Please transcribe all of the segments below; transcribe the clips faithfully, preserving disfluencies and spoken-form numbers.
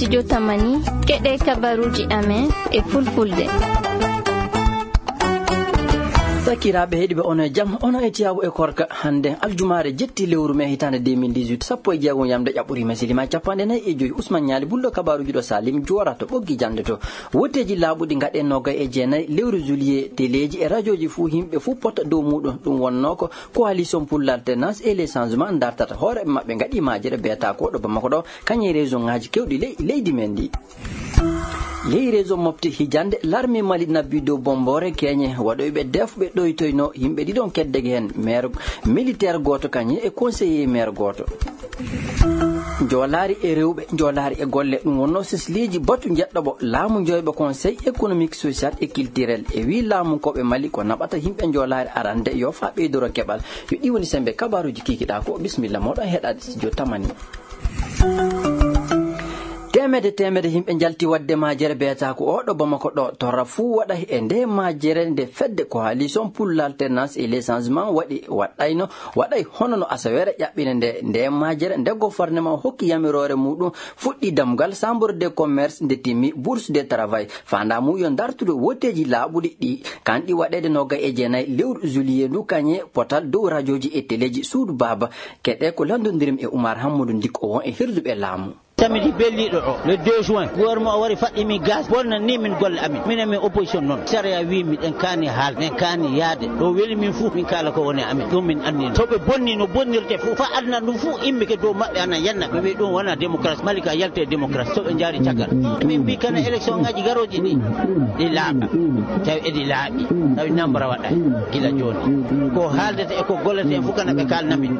Jotamani, keɗee kabaruuji amen e fulfulde. Sakiraaɓe heɗiiɓe, ono e jam, ono e tiyaabu e korka. Hannde aljumaare jetti lewru mee hitaande deux mille dix-huit, sappo e jeegom yamde ƴaɓɓoriima silimaa capanɗe nayi e joy. Usman Ñaali Bulɗo, kabaruuji ɗo Salim Joora to ɓoggi jannde to. Wotteeji laaɓuɗi ngaɗee noogay e jeenayi lewru juillet, teleeji e rajooji fuu, yimɓe fuu pota dow muuɗum. Ɗum wonnoo ko Coalition pour l'Alternance et le Changement dartata hoore maɓɓe, ngaɗi majere beetaa ko ɗo Bamako ɗo, kañe région ŋaaji keewɗi ley, leydi men ndi. Ley région Mopti hijande, l'armée Mali nabbi dow bomboore keñe waɗoyɓe def ɓe ɗoytoyno yimɓe ɗiɗon keddege heen, maire militaire gooto kañe e conseiller maire gooto. Njoolaari e rewɓe, njoolaari e golle, ɗum wonnoo sesliiji batu njeɗɗo ɓo laamu njoyɓo conseil économique, social et culturel. E wii laamu ko ɓe Mali ko naɓata yimɓe njoolaari arande yo faa ɓeydoro keɓal. Yo ɗi woni sembe kabaruuji kiikiɗaa ko. Bisimilla mooɗon heɗaade studio tamani. Teemede teemede yimɓe njalti waɗde majere beetaa ko oo ɗo Bamako ɗo. Torra fuu waɗa e nde majere nde fedde Coalition pour l'Alternance et le Changement waɗi waɗɗayno waɗay hono no asaweere ƴaɓɓine nde, nde majere, nde gouvernement hokki yamiroore muuɗum, fuɗɗi damgal chambre de commerce, nde timmi bourse de travail. Faandaa mum yo ndartude wotteeji laaɓuɗi ɗi, kanɗi waɗeede noogay e jeenayi lewru juillet ndu, kañe potal dow rajooji e teleeji suudu baaba. Keɗee ko lanndondirmi e Umar Hammadou Ndikko, won e hirduɓe laamu. Samedi belliiɗo o, le deux juin, gouvernement o wari faɗɗi min gaz, bonnani min golle amin. Minen min opposition noon, sariya wii miɗen kaani haalde, miɗen kaani yahde. Ɗo weli min fuu, min kaala ko woni amin. Ɗum min anndi. So ɓe bonni no bonnirte fuu, faa aduna ɗum fuu immike dow maɓɓe, ana yenna. Mi wii ɗum wonaa démocratie. Mali ka yalte démocratie. So ɓe njaari caggal. Min mbii kana élection ŋaaji garooji ɗi, ɗi laaɓa. Tawi eɗi laaɓi. Tawi nambara waɗaay. Gila jooni. Ko haaldete e ko gollete en fuu kana ɓe kaalna min.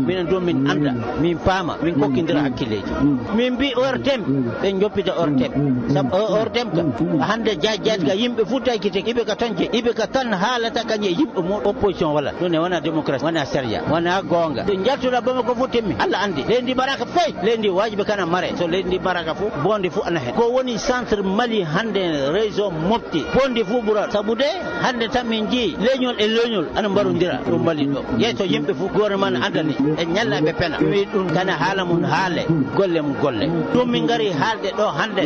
Minen ɗum min annda. Min paama, min kokkindira hakkilleeji. Min mbii O R T M, ɓe njoppita O R T M. Sabu O R T M ka, hannde jaaj jaaj ka yimɓe fuu taykitike, iɓe ka tan jeyi, iɓe ka tan haalata kañe e yimɓe mum, opposition wala. Ɗum ne wonaa démocratie, wonaa sariya, wonaa goonga. Ɗo njaltuɗaa Bamako fuu timmi, Alla anndi. Leydi ndi maraaka fay, leydi ndi waajibi kana mare. So leydi ndi maraaka fuu, bonde fuu ana hen. Ko woni centre Mali hannde, région Mopti, bonde fuu ɓural. Sabu de, hannde tan min njii leñol e leñol ana mbarondira ɗo Mali ɗo. Yeeso yimɓe fuu, gouvernement ne anndani, e ñalla ɓe pena. Mi wii ɗum kana haala mum haale, golle mum golle. Ɗum min ngari haalde ɗo hannde.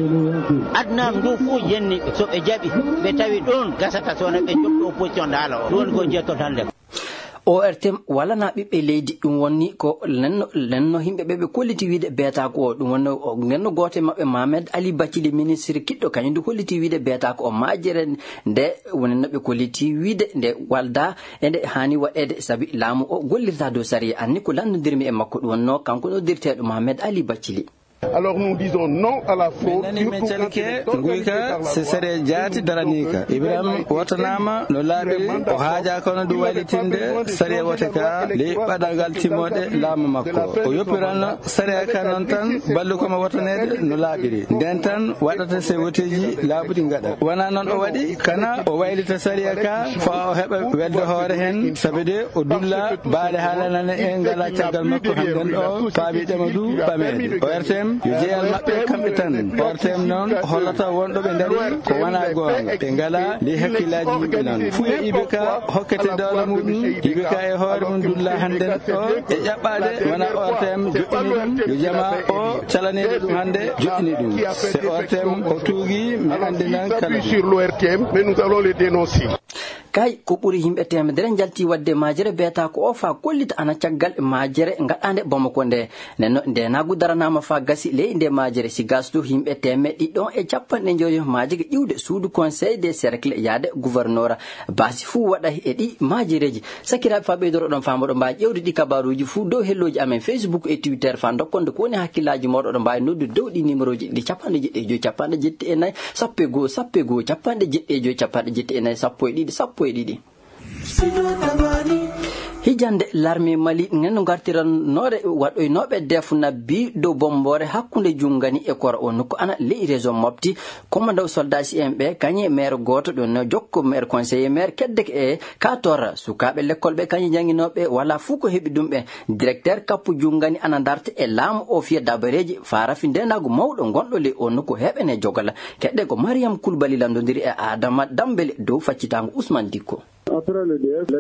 Aduna ndu fuu yenni ɓe. So ɓe jaɓi, ɓe tawi ɗum gasata so wonaa ɓe njoɓɗo opposition nde haala o. Ɗum woni ko njettoto hannde. O R T M walanaa ɓiɓɓe leydi, ɗum woni ko nenno, nenno yimɓe ɓe ɓe kolliti wiide beetaa ko o. Ɗum woni o nenno gooto e maɓɓe, Mohamed Ali Bathily, ministre kiɗɗo, kañum du holliti wiide beetaa ko o majjere nde woni no ɓe kolliti wiide nde waldaa e nde haani waɗeede, sabi laamu o gollirtaa dow sariya. Anni ko lanndondirmi e makko, ɗum wonnoo kanko noddirteeɗo Mohamed Ali Bathily. Alors nous disons non à la fraude, surtout quand il est organisé par la loi. Min nani, min calike nguyka, si sariya jaati daranii ka. Ibrahim wotanaama no laaɓiri, o haajaa kono du waylitinde sariya wote ka ley ɓadagal timmoode laamu makko. O yoppiran sariya ka noon tan, ballu ko mo wotaneede no laaɓiri. Nden tan waɗata se woteeji laaɓuɗi ngaɗa. Wonaa noon o waɗi, kana o waylita sariya ka, faa o heɓa welde hoore heen, sabi de o dulla baale haalanane en ngalaa caggal makko hannden o, faabiiɗe mo du ɓameede. O R T M, yo jeyal maɓɓe kamɓe tan. O R T M noon hollata wonɗo ɓe ndarii ko wonaa goonga. Ɓe ngalaa ley hakkillaaji yimɓe noon. Fuu e I B K hokkete dowla muuɗum, I B K e hoore mum dulla hannden o e ƴaɓɓaade wonaa O R T M joɗɗini ɗum. Yo jamaa o calaneede ɗum hannde joɗɗini ɗum. Se O R T M o tuugii, mi anndinan kala ɗum. Sur l'O R T M, mais nous allons les dénoncer. Kay, ko ɓuri yimɓe teemedere njalti waɗde majere beetaa ko o faa kollita ana caggal majere ngaɗaande Bamako nde. Nden no ndeenaagu daranaama faa gasi ley nde majere. Si gas du yimɓe teemeɗɗe ɗiɗi e capanɗe njoyo majike ƴiwde suudu conseil des cercles yaade gouverneur. Baasi fuu waɗa e ɗi majereeji. Sakiraaɓe, faa ɓeydoroɗon faa moɗon mbaawi ƴeewde ɗi kabaaruuji fuu dow hellooji amen Facebook e Twitter faa ndokkonde ko woni hakkillaaji mooɗon. Oɗon mbaawi noddude dow ɗi nimerooji ɗi: capanɗe jeɗɗi e joy, capanɗe jeɗɗi e nayi, sappo e goo, sappo e goo, capanɗe jeɗɗi e joy, capanɗe jeɗɗi e nayi, sappo e ɗiɗi, sappo e ɗiɗi. Hijande, l'armée Mali nden no ngartirannoore waɗoynooɓe def nabbi dow bomboore hakkunde Jungani e Kora, o nokku ana ley région Mopti. Commandant soldat si en ɓe kañe maire gooto ɗon no jokko maire, conseiller maire keddeke e ka torra. Sukaaɓe lekkol ɓe kañe jannginooɓe walaa fuu ko heɓi ɗum ɓe. Directeur kappu Jungani ana darta e laamu o fiya dabareeji faa rafi ndeenaagu mawɗo ngonɗo ley o nokku heɓene jogala. Keɗɗe ko Mariam Kulbali lanndondiri e Adama Dambele dow faccitaango Usman Dikko.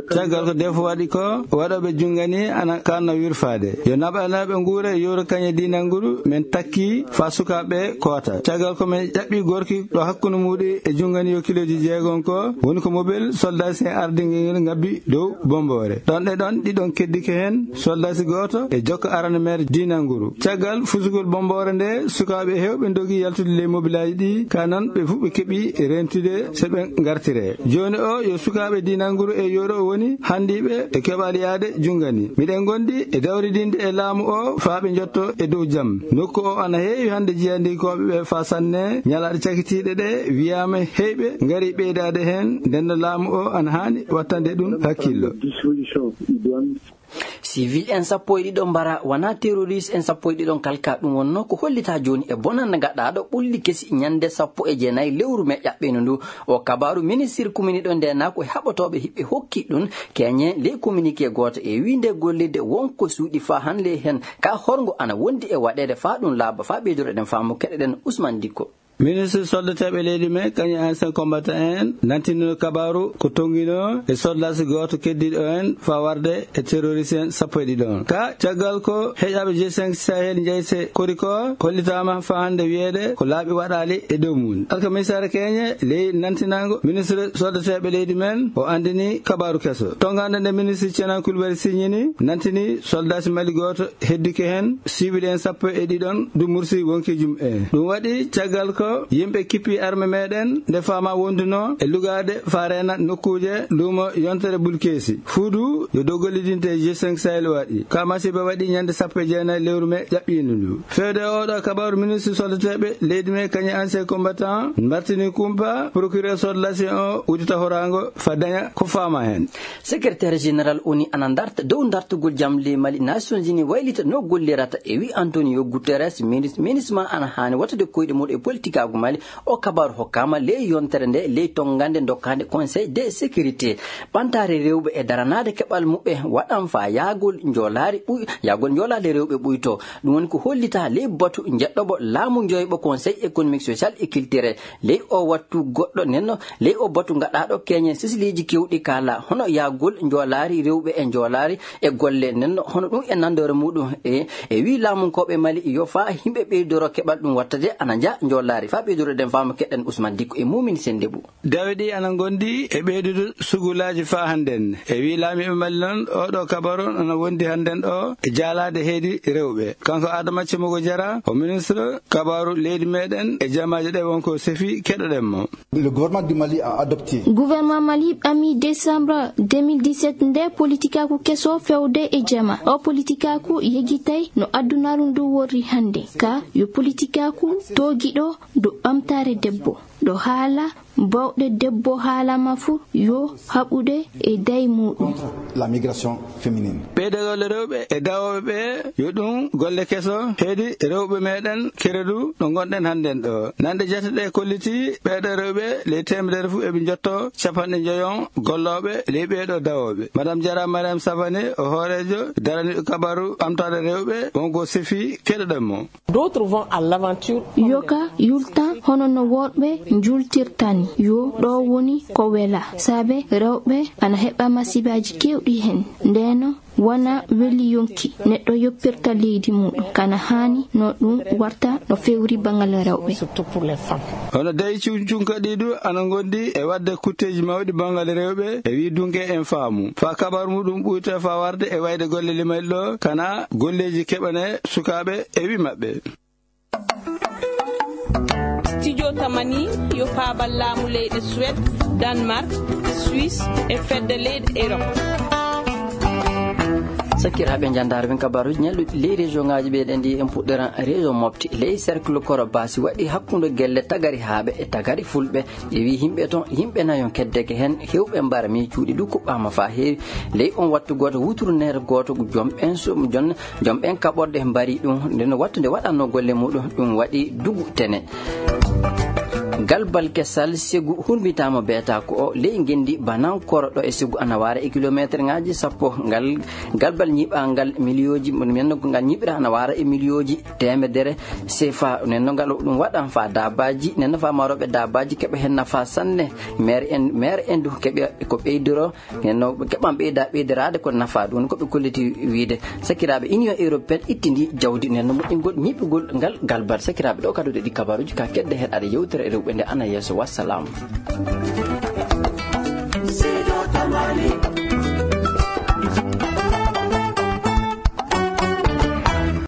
Caggal ko defu waɗi ko, waɗooɓe junngani ana kaanno wirfaade. Yo naɓanaaɓe nguura e yowro kañe diinal nguru, men takkii faa sukaaɓe koota. Caggal ko men ƴaɓɓii gorki ɗo hakkunde muuɗum e junngani yo kilooji jeegom ko, woni ko mobel soldaasi en ardingel ngel ngabbi dow Bommboore. Ɗon e ɗon, ɗiɗon keddike heen, soldaasi gooto e jokka arana meer diinal nguru. Caggal fusugol Bommboore nde, sukaaɓe heewɓe ndogii yaltude ley mobilaaji ɗi, kaa non ɓe fuu ɓe keɓii reentude so ɓe ngartiree. Jooni o yo sukaaɓe diinal nguru e yowro woni hanndiiɓe e keɓal yaade junngani. Miɗen ngondi e dawridinde e laamu o faa ɓe njotto e dow jam. Nokku o ana heewi hannde jiyandikooɓe ɓe faa sanne. Ñalaaɗe cakitiiɗe ɗe wiyaama heyɓe ngarii ɓeydaade heen, nden no laamu o ana haani wattande ɗum hakkillo. Civil en sappo e ɗiɗo mbara, wonaa terroriste en sappo e ɗiɗo kalka. Ɗum wonnoo ko hollitaa jooni e bonannde gaɗaaɗo ɓulli kesi ñannde sappo e jeenayi lewru mee ƴaɓɓeendu ndu. O kabaaru ministir kuminiiɗo ndeenaaku e haɓotooɓe hiɓɓe hokki ɗum keñe ley kominikee gooto e wiinde gollirde won ko suuɗi faa hannde heen. Ka horngo ana wondi e waɗeede faa ɗum laaɓa? Faa ɓeydoreɗen faamu keɗoɗen Usman Dikko. Ministre soldateeɓe leydi men kañum e ancien combattant en nantinino kabaaru ko tonnginoo e soldaasi gooto keddiiɗo en faa warde e terroriste en sappo e ɗiɗo on. Ka caggal ko heƴaaɓe G cinq Sahel njeyse kori ko hollitaama faa hannde wiyeede ko laaɓi waɗaali e dow mum. Alkamisaare keñe ley nantinaango ministre soldateeɓe leydi men o anndini kabaaru keso. Tonngaande nde ministre Cenan Kulbali siññini nantini soldaasi Mali gooto heddike heen siwil en sappo e ɗiɗon du mursi wonkiijum e ɗum waɗi caggal ko yimɓe kippi arme meɗen nde faama wondunoo e lugaade faa reena nokkuuje luumo yontere bulkeesi fuudu yo dow gollidinte g cinq sahel waɗi ka masiba waɗi ñande sappo e jeenayi lewru me ƴaɓɓiindu ndu. Feewde e oɗo kabaru ministre soldateeɓe leydi me kañe ancien combattant martini kumpa procureur sodlasi o udita horaango fa daña ko faama heen. Secrétaire général oni ana ndarta dow ndartugol jam ley Mali, Nations Unies waylita no gollirata e wi Antonio Guterres. Minisma ana haani wattude koyɗe muɗum e politikaagu Mali. O kabaaru hokkaama ley yontere nde ley tonngande dokkaande Conseil de sécurité. Ɓantaare rewɓe e daranaade keɓal muɓɓe waɗan faa yaagol njoolaari ɓuy yaagol njoolaade rewɓe ɓuyto. Ɗum woni ko hollitaa ley batu njeɗɗoɓo laamu njoyɓo Conseil économique social et culturel. Ley o wattu goɗɗo nenno ley o batu gaɗaaɗo keñen sisiliiji kewɗi kaala hono yaagol njoolaari rewɓe e njoolaari e golle nenno hono ɗum e nandoore muɗum e e wii laamunkooɓe Mali yo faa yimɓe ɓeydoro keɓal ɗum wattade ana njaha njoolaari. Faa ɓeydoroɗen faamu keɗɗen Usman Dikko e Mumin Sendebu. Dawe ɗi ana ngondi e ɓeydude sugulaaji faa hannden. E wii laamiiɓe Mali non, oo ɗoo kabaru on ana wondi hannden ɗoo e jaalaade heydi rewɓe. Kanko Adama Cimogo Jara, o ministre kabaru leydi meɗen e jamaaji ɗe wonko sefi, keɗoɗen mo. Le gouvernement du Mali a adopté. Gouvernement Mali ɓami décembre deux mille dix-sept nde politikaaku keso fewde e jama. O politikaaku yegitay no adunaaru ndu worri hannde. Ka yo politikaaku toogiɗo do ɓamtaare debbo. Ɗo haala bawɗe debbo haalama fu yo haɓude e day muɗum. La migration féminine. Ɓeydagol rewɓe e dawooɓe ɓe yo ɗum golle keso heydi rewɓe meɗen keredu ɗo ngonɗen hannden ɗo. Nande jate ɗe kolliti ɓeeɗo rewɓe ley teemedere fu eɓe njotto capanɗe njoyon gollooɓe ley ɓeeɗo dawooɓe. Madame Jara Mariam Savane o hooreejo daraniiɗo kabaru ɓamtaade rewɓe wongo sefi keɗoɗen mo. D'autres vont à l'aventure. Yoka yultan hono no worɓe njultirtani yo ɗo woni ko wela saabe rewɓe ana heɓa masibaaji kewɗi heen. Ndeno wona weli yonki neɗɗo yoppirta leydi muɗum kana haani no ɗum warta no fewri bangal rewɓe. Surtout pour les femmes. Hono dayi cuncunka ɗi du ana ngondi e wadde kutteeji mawɗi bangal rewɓe e wi dunke en faamu faa kabar muɗum ɓuyta faa warde e wayde golle limal ɗo kana golleeji keɓane sukaaɓe e wi maɓɓe. Studio tamani yo paabal laamu leyɗe Suwed, Danmark, Suisse e fedde leyɗe Erop. Sakkiraaɓe njandaare ɓen kabaruuji ñalluɗi ley région ngaaji ɓeyɗen ɗi en puɗɗoran région mofti ley cercle koro basi waɗi hakkunde gelle tagari haaɓe e tagari fulɓe. Ƴeewi yimɓe ton yimɓe nayon keddeke heen hewɓe mbara miicuuɗi ɗu kuɓɓaama faa heewi. Ley on wattu gooto wuturu neer gooto jom ɓen sum jon jom ɓen kaɓorɗe mbari ɗum nden wattu nde waɗanno golle muɗum ɗum waɗi dugu tene. Galbal kesal segu hurmbitaama beetaaku o ley ngenndi Banankoro ɗo e segu ana waara e kilometerŋaaji sappo. Ngal galbal ñiɓaangal miliyooji, men no ko ngal ñiɓira ana waara e miliyooji teemedere sefa. Nen no ngal ɗum waɗan faa daabaaji, nen no faa marooɓe daabaaji keɓa heen nafaa sanne. Meer en, meer en du keɓa ko ɓeydoro. Nen no ɓe keɓan ɓeyda ɓeydiraade ko nafaa ɗum ko ɓe kolliti wiide. Sakiraaɓe, Union Européenne ittindi jawdi nen no moƴƴingol ñiɓugol ngal galbal. Sakiraaɓe, ɗo kadi ɗi kabaruuji ka kedde heɗaade yewtere rewɓe nde ana yeeso. Wassalam.